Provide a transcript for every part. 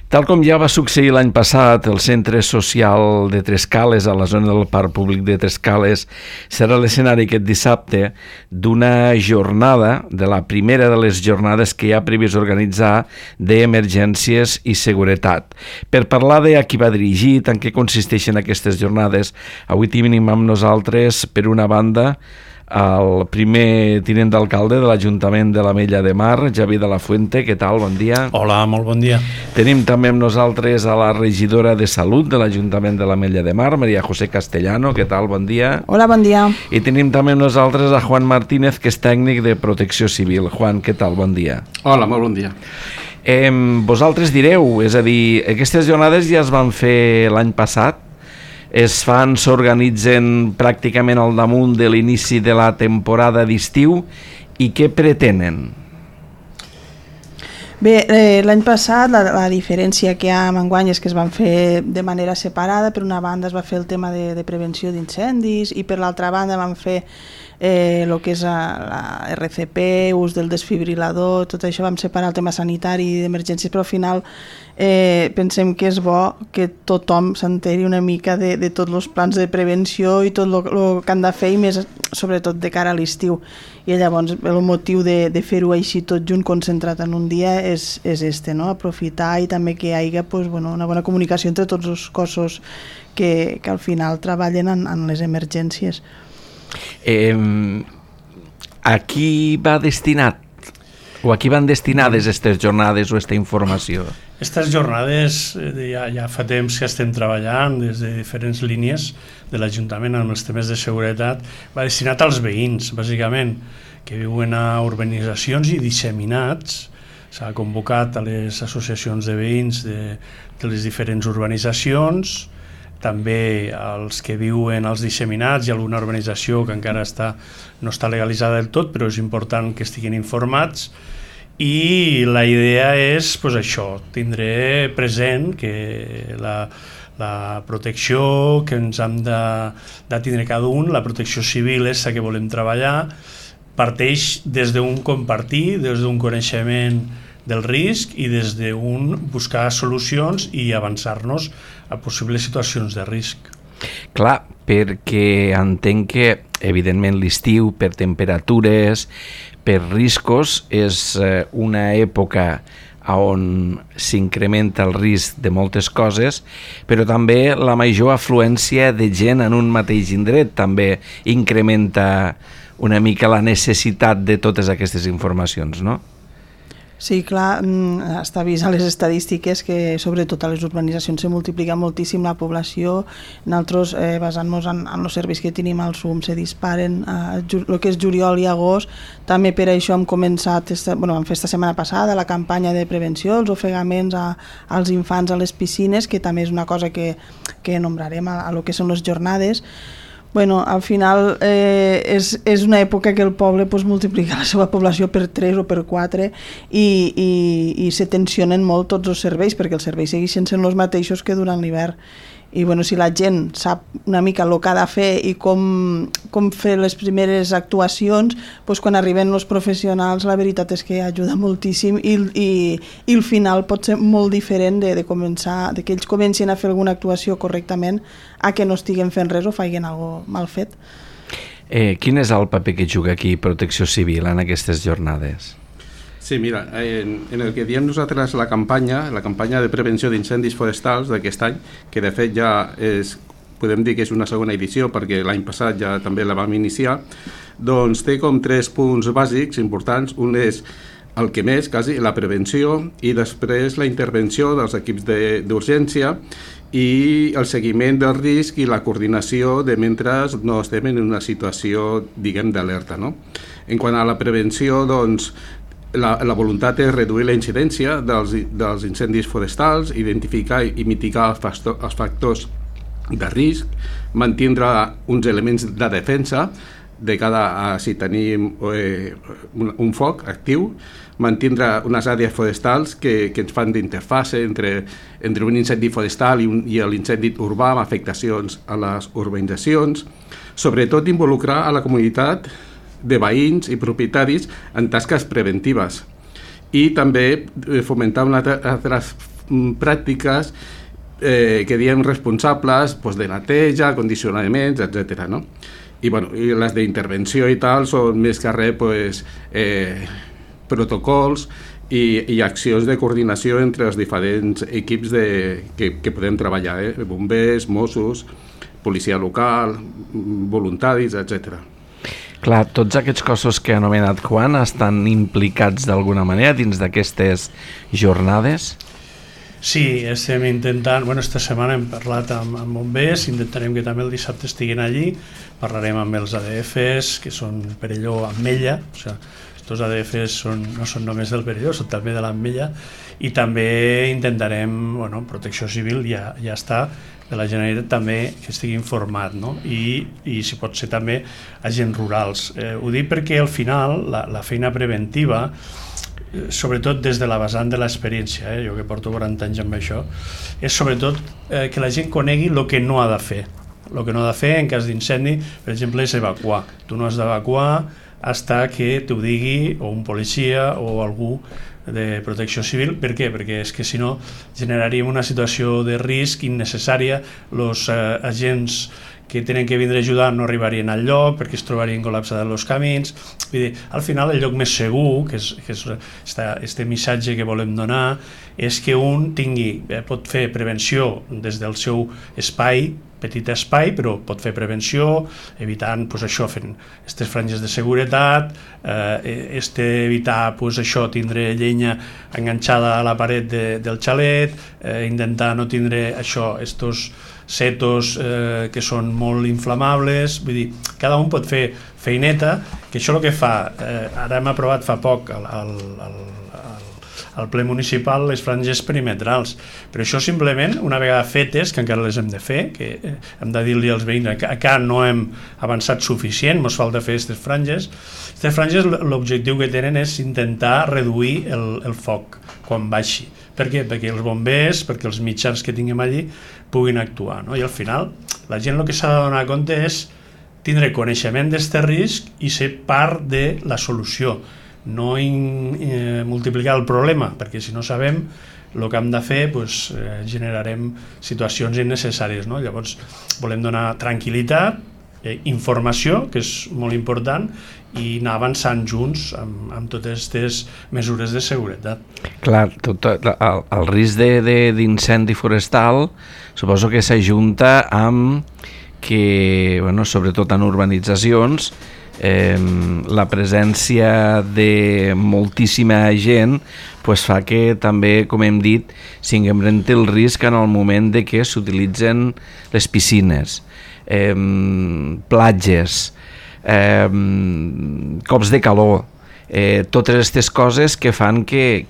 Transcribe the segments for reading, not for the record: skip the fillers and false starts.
Tal com ja va succeir l'any passat, el Centre Social de Trescales, a la zona del Parc Públic de Trescales, serà l'escenari aquest dissabte d'una jornada, de la primera de les jornades que hi ha previst organitzar d'emergències i seguretat. Per parlar de a qui va dirigit, en què consisteixen aquestes jornades, avui tenim amb nosaltres, per una banda, el primer tinent d'alcalde de l'Ajuntament de l'Ametlla de Mar, Javi de la Fuente. Què tal? Bon dia. Hola, molt bon dia. Tenim també amb nosaltres a la regidora de Salut de l'Ajuntament de l'Ametlla de Mar, Maria José Castellano. Què tal? Bon dia. Hola, bon dia. I tenim també amb nosaltres a Juan Martínez, que és tècnic de Protecció Civil. Juan, què tal? Bon dia. Hola, molt bon dia. Vosaltres direu, és a dir, aquestes jornades ja es van fer l'any passat, s'organitzen pràcticament al damunt de l'inici de la temporada d'estiu, i què pretenen? Bé, l'any passat la diferència que hi ha amb enguany és que es van fer de manera separada. Per una banda es va fer el tema de prevenció d'incendis i per l'altra banda van fer el que és la RCP, ús del desfibrilador, tot això vam separar el tema sanitari i d'emergències, però al final pensem que és bo que tothom s'enteri una mica de tots els plans de prevenció i tot el que han de fer, i més sobretot de cara a l'estiu. I llavors el motiu de fer-ho així tot junt, concentrat en un dia, és este, no? Aprofitar i també que hi hagi una bona comunicació entre tots els cossos que al final treballen en les emergències. A qui va destinat o a qui van destinades aquestes jornades o aquesta informació? Aquestes jornades ja fa temps que estem treballant des de diferents línies de l'Ajuntament amb els temes de seguretat. Va destinat als veïns, bàsicament, que viuen a urbanitzacions i disseminats. S'ha convocat a les associacions de veïns de les diferents urbanitzacions, també als que viuen als disseminats i alguna urbanització que encara no està legalitzada del tot, però és important que estiguin informats. I la idea és això, tindre present que la protecció que ens hem de tindre cada un, la protecció civil és la que volem treballar, parteix des d'un compartir, des d'un coneixement del risc i des d'un buscar solucions i avançar-nos a possibles situacions de risc. Clar, perquè entenc que, evidentment, l'estiu, per temperatures, per riscos, és una època on s'incrementa el risc de moltes coses, però també la major afluència de gent en un mateix indret també incrementa una mica la necessitat de totes aquestes informacions, no? Sí, clar, està vist a les estadístiques que sobretot a les urbanitzacions se multiplica moltíssim la població. Nosaltres, basant-nos en els serveis que tenim al SUM, se disparen el que és juliol i agost. També per això hem començat, vam fer esta setmana passada la campanya de prevenció, els ofegaments als infants a les piscines, que també és una cosa que nombrarem a lo que són les jornades. Al final és una època que el poble multiplica la seva població per 3 o per 4 i se tensionen molt tots els serveis, perquè els serveis segueixen sent els mateixos que durant l'hivern. I si la gent sap una mica el que ha de fer i com fer les primeres actuacions, quan arriben els professionals la veritat és que ajuda moltíssim i el final pot ser molt diferent de que ells comencin a fer alguna actuació correctament a que no estiguen fent res o facin alguna cosa mal fet. Quin és el paper que juga aquí Protecció Civil en aquestes jornades? Sí, mira, en el que diem nosaltres la campanya de prevenció d'incendis forestals d'aquest any, que de fet ja podem dir que és una segona edició perquè l'any passat ja també la vam iniciar, doncs té com 3 punts bàsics importants. Un és el que més, quasi, la prevenció, i després la intervenció dels equips d'urgència i el seguiment del risc i la coordinació de mentre no estem en una situació, diguem, d'alerta, no? En quant a la prevenció, doncs, la voluntat és reduir la incidència dels incendis forestals, identificar i mitigar els factors de risc, mantindre uns elements de defensa de cada, si tenim un foc actiu, mantindre unes àrees forestals que ens fan d'interfase entre un incendi forestal i l'incendi urbà amb afectacions a les urbanitzacions, sobretot involucrar a la comunitat de veïns i propietaris en tasques preventives i també fomentar altres pràctiques que diem responsables de neteja, condicionaments, etc. No? I les d'intervenció i tal són més que res protocols i accions de coordinació entre els diferents equips que podem treballar, bombers, Mossos, policia local, voluntaris, etc. Clar, tots aquests cossos que ha anomenat Juan estan implicats d'alguna manera dins d'aquestes jornades? Sí, estem intentant, esta setmana hem parlat amb bombers, intentarem que també el dissabte estiguin allí, parlarem amb els ADFs, que són Perelló, Ametlla, estos ADFs no són només del Perelló, són també de l'Ametlla, i també intentarem, Protecció Civil ja està, de la Generalitat també que estigui informat, no? I si pot ser també agents rurals. Ho dic perquè al final la feina preventiva, sobretot des de la vessant de l'experiència, jo que porto 40 anys amb això, és sobretot que la gent conegui el que no ha de fer. El que no ha de fer en cas d'incendi, per exemple, és evacuar. Tu no has d'evacuar fins que t'ho digui o un policia o algú de protecció civil. Per què? Perquè és que si no generaríem una situació de risc innecessària, els agents que tenen que vindre a ajudar no arribarien al lloc perquè es trobarien col·lapsats els camins. Vull dir, al final el lloc més segur, que és este missatge que volem donar, és que un pot fer prevenció des del seu espai, petit espai, però pot fer prevenció evitant fent aquestes franges de seguretat, evitar tindre llenya enganxada a la paret del xalet, intentar no tindre estos setos que són molt inflamables. Vull dir, cada un pot fer feineta, que això el que fa, ara hem aprovat fa poc al ple municipal les franges perimetrals, però això simplement una vegada fetes, que encara les hem de fer, que hem de dir-li als veïns que encara no hem avançat suficient, ens falta fer aquestes franges. Aquestes franges l'objectiu que tenen és intentar reduir el foc quan baixi. Per què? Perquè els bombers, perquè els mitjans que tinguem allí puguin actuar, no? I al final la gent el que s'ha de donar compte és tindre coneixement d'aquest risc i ser part de la solució, no multiplicar el problema, perquè si no sabem el que hem de fer generarem situacions innecessàries, no? Llavors volem donar tranquil·litat, informació, que és molt important, i anar avançant junts amb totes aquestes mesures de seguretat. Clar, el risc d'incendi forestal suposo que s'ajunta amb que, sobretot en urbanitzacions, la presència de moltíssima gent fa que també, com hem dit, s'incrementi el risc en el moment de que s'utilitzen les piscines, platges, cops de calor, totes aquestes coses que fan que,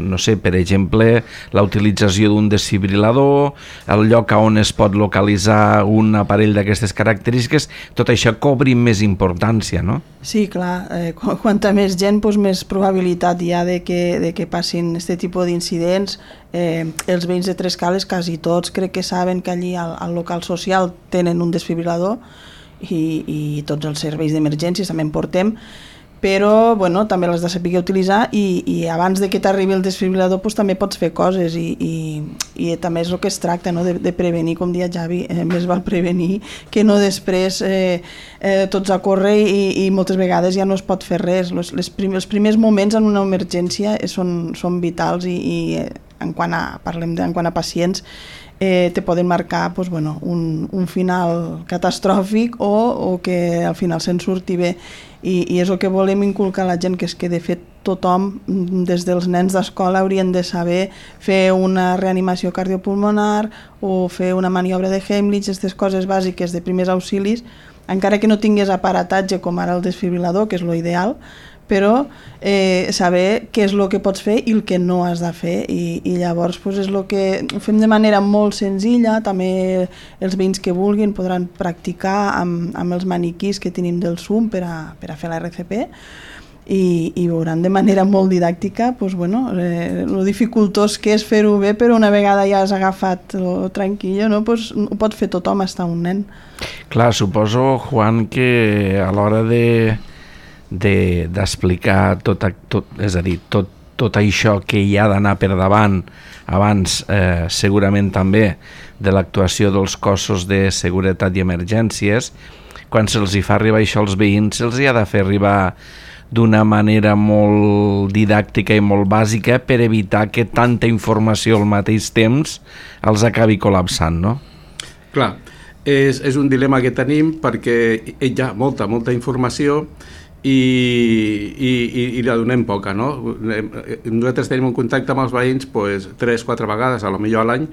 no sé, per exemple, la utilització d'un desfibrilador, el lloc on es pot localitzar un aparell d'aquestes característiques, tot això cobri més importància, no? Sí, clar, quanta més gent, més probabilitat hi ha de que passin aquest tipus d'incidents. Els veïns de Trescales, quasi tots, crec que saben que allí al local social tenen un desfibrilador i tots els serveis d'emergències també en portem, però també l'has de saber utilitzar i abans de que t'arribi el desfibrilador també pots fer coses i també és el que es tracta, no? de prevenir, com dia Javi, més val prevenir que no després tots a córrer i moltes vegades ja no es pot fer res. Els primers moments en una emergència són vitals i en quant a pacients te poden marcar un final catastròfic o que al final se'n surti bé, i és el que volem inculcar a la gent, que és que de fet tothom, des dels nens d'escola, haurien de saber fer una reanimació cardiopulmonar o fer una maniobra de Heimlich, aquestes coses bàsiques de primers auxilis, encara que no tingués aparatatge com ara el desfibrilador, que és l'ideal, però saber què és el que pots fer i el que no has de fer, i llavors és el que fem de manera molt senzilla. També els veïns que vulguin podran practicar amb els maniquís que tenim del Zoom per a fer la RCP, i veuran de manera molt didàctica lo dificultós que és fer-ho bé, però una vegada ja has agafat lo tranquillo, no? Ho pot fer tothom, hasta un nen. Clar, suposo, Juan, que a l'hora d'explicar tot, és a dir, tot això que hi ha d'anar per davant abans, segurament també de l'actuació dels cossos de seguretat i emergències, quan se'ls hi fa arribar això als veïns, se'ls hi ha de fer arribar d'una manera molt didàctica i molt bàsica per evitar que tanta informació al mateix temps els acabi col·lapsant, no? Clar, és un dilema que tenim perquè hi ha molta informació i la donem poca, no? Nosaltres tenim un contacte amb els veïns 3-4 vegades, a lo millor a l'any,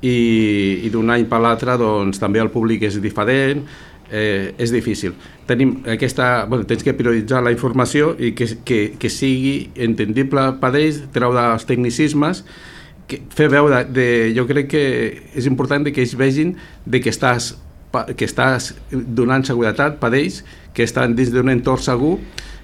i d'un any per l'altre doncs, també el públic és diferent, és difícil. Tens que prioritzar la informació i que sigui entendible per ells, treure els tecnicismes, fer veure, jo crec que és important que ells vegin que estàs donant seguretat per ells, que estan dins d'un entorn segur,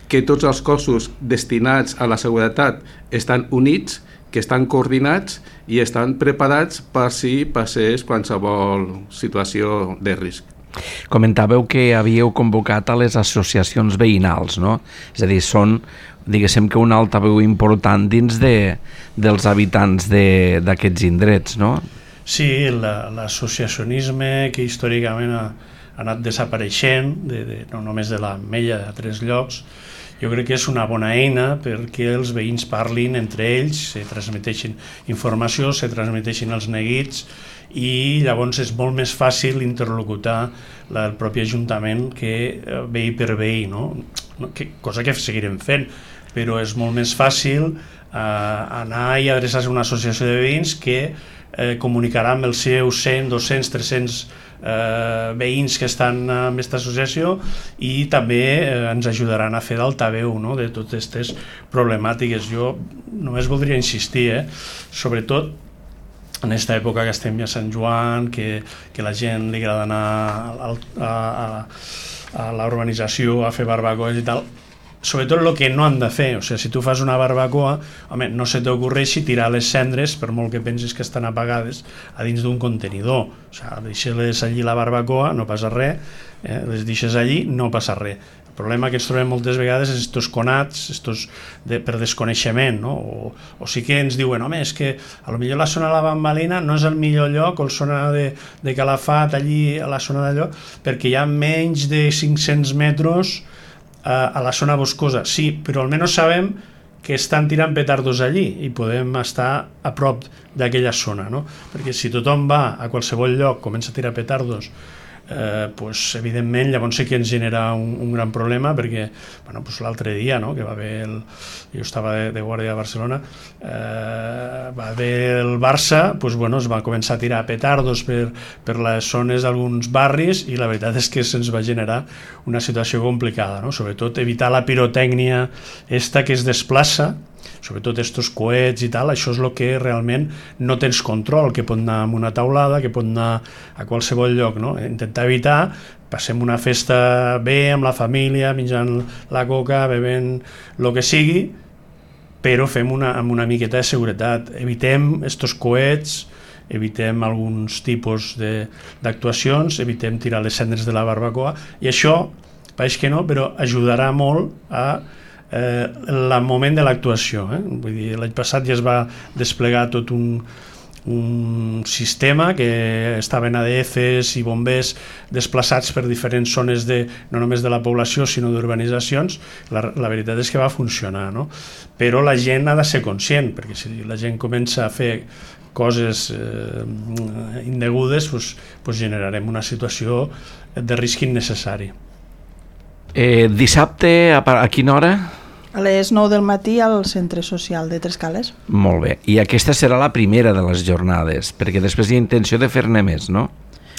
que tots els cossos destinats a la seguretat estan units, que estan coordinats i estan preparats per si passés qualsevol situació de risc. Comentàveu que havíeu convocat a les associacions veïnals, no? És a dir, són, diguéssim que una altaveu important dins dels habitants d'aquests indrets, no? Sí, l'associacionisme que històricament ha anat desapareixent, no només de l'Ametlla, de 3 llocs, jo crec que és una bona eina perquè els veïns parlin entre ells, se transmeteixin informació, se transmeteixin els neguits, i llavors és molt més fàcil interlocutar el propi Ajuntament que veí per veí, no? Cosa que seguirem fent, però és molt més fàcil anar i adreçar-se a una associació de veïns que comunicarà amb els seus 100, 200, 300 veïns que estan en aquesta associació i també ens ajudaran a fer d'altaveu, no?, de totes aquestes problemàtiques. Jo només voldria insistir, sobretot en aquesta època que estem ja a Sant Joan, que la gent li agrada anar a la urbanització a fer barbacoes i tal, sobretot el que no han de fer. O sigui, si tu fas una barbacoa, home, no se t'ocorreixi tirar les cendres, per molt que pensis que estan apagades, a dins d'un contenidor. O sigui, deixes allí la barbacoa, no passa res, les deixes allí, no passa res. El problema que ens trobem moltes vegades és estos conats, per desconeixement, no? O sí que ens diuen, home, és que potser la zona de la Bambalina no és el millor lloc, o la zona de Calafat, allí a la zona d'allò, perquè hi ha menys de 500 metres a la zona boscosa. Sí, però almenys sabem que estan tirant petardos allí i podem estar a prop d'aquella zona, no? Perquè si tothom va a qualsevol lloc, comença a tirar petardos, evidentment llavors sí que ens genera un gran problema, perquè l'altre dia, no, que va haver jo estava de guàrdia a Barcelona, va haver el Barça, es va començar a tirar petardos per les zones d'alguns barris i la veritat és que se'ns va generar una situació complicada, no? Sobretot evitar la pirotècnia esta que es desplaça, sobretot estos coets i tal, això és el que realment no tens control, que pot anar a una taulada, que pot anar a qualsevol lloc, no? Intentar evitar, passem una festa bé amb la família, menjant la coca, bevent el que sigui, però fem amb una miqueta de seguretat. Evitem estos coets, evitem alguns tipus d'actuacions, evitem tirar les cendres de la barbacoa, i això, pareix que no, però ajudarà molt a el moment de l'actuació. Vull dir, l'any passat ja es va desplegar tot un sistema que estaven ADFs i bombers desplaçats per diferents zones no només de la població sinó d'urbanitzacions. La veritat és que va funcionar, no? Però la gent ha de ser conscient, perquè si la gent comença a fer coses indegudes, generarem una situació de risc innecessari. Dissabte, a quina hora? A les 9 del matí al Centre Social de Trescales. Molt bé. I aquesta serà la primera de les jornades, perquè després hi ha intenció de fer-ne més, no?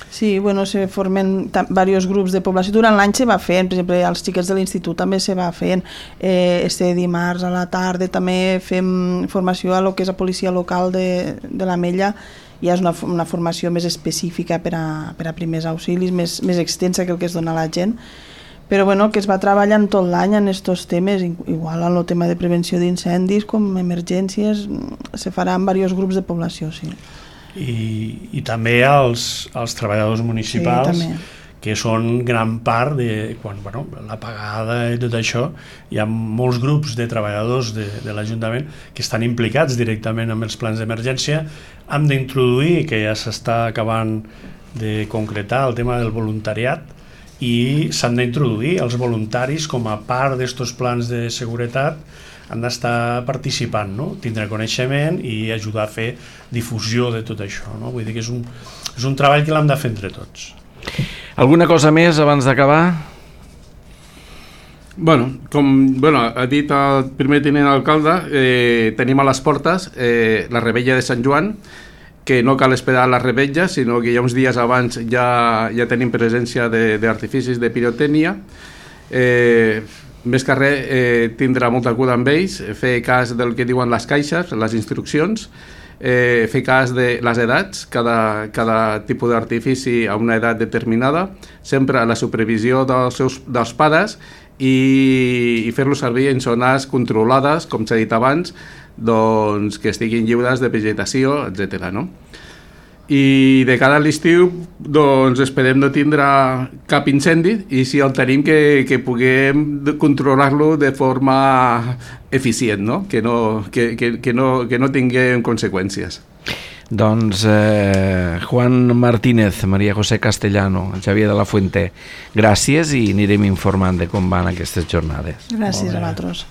Sí, se formen diversos grups de població. Durant l'any se va fent, per exemple, als xiquets de l'institut també se va fent. Este dimarts a la tarda també fem formació a lo que és la policia local de l'Ametlla. Ja és una formació més específica per a primers auxilis, més extensa que el que es dona a la gent. Però que es va treballant tot l'any en aquests temes, igual en el tema de prevenció d'incendis com emergències, se farà en diversos grups de població, sí. I també als treballadors municipals, sí, que són gran part de quan, l'apagada i tot això. Hi ha molts grups de treballadors de l'Ajuntament que estan implicats directament amb els plans d'emergència. Hem d'introduir, que ja s'està acabant de concretar, el tema del voluntariat, i s'han d'introduir els voluntaris com a part d'estos plans de seguretat, han d'estar participant, no? Tindre coneixement i ajudar a fer difusió de tot això, no? Vull dir que és un treball que l'hem de fer entre tots. Alguna cosa més abans d'acabar? Com ha dit el primer tinent alcalde, tenim a les portes la revetlla de Sant Joan, que no cal esperar a la revetlla, sinó que ja uns dies abans ja tenim presència d'artificis de pirotècnia. Més que res, tindrà molta cura amb ells, fer cas del que diuen les caixes, les instruccions, fer cas de les edats, cada tipus d'artifici a una edat determinada, sempre a la supervisió dels pares i fer-lo servir en zones controlades, com s'ha dit abans, doncs, que estiguin lliures de vegetació, etc. No? I de cara a l'estiu doncs esperem no tindre cap incendi i si el tenim que puguem controlar-lo de forma eficient, no? Que no tinguem conseqüències. Doncs Juan Martínez, María José Castellano, Xavier de la Fuente, gràcies i anirem informant de com van aquestes jornades. Gràcies a vosaltres.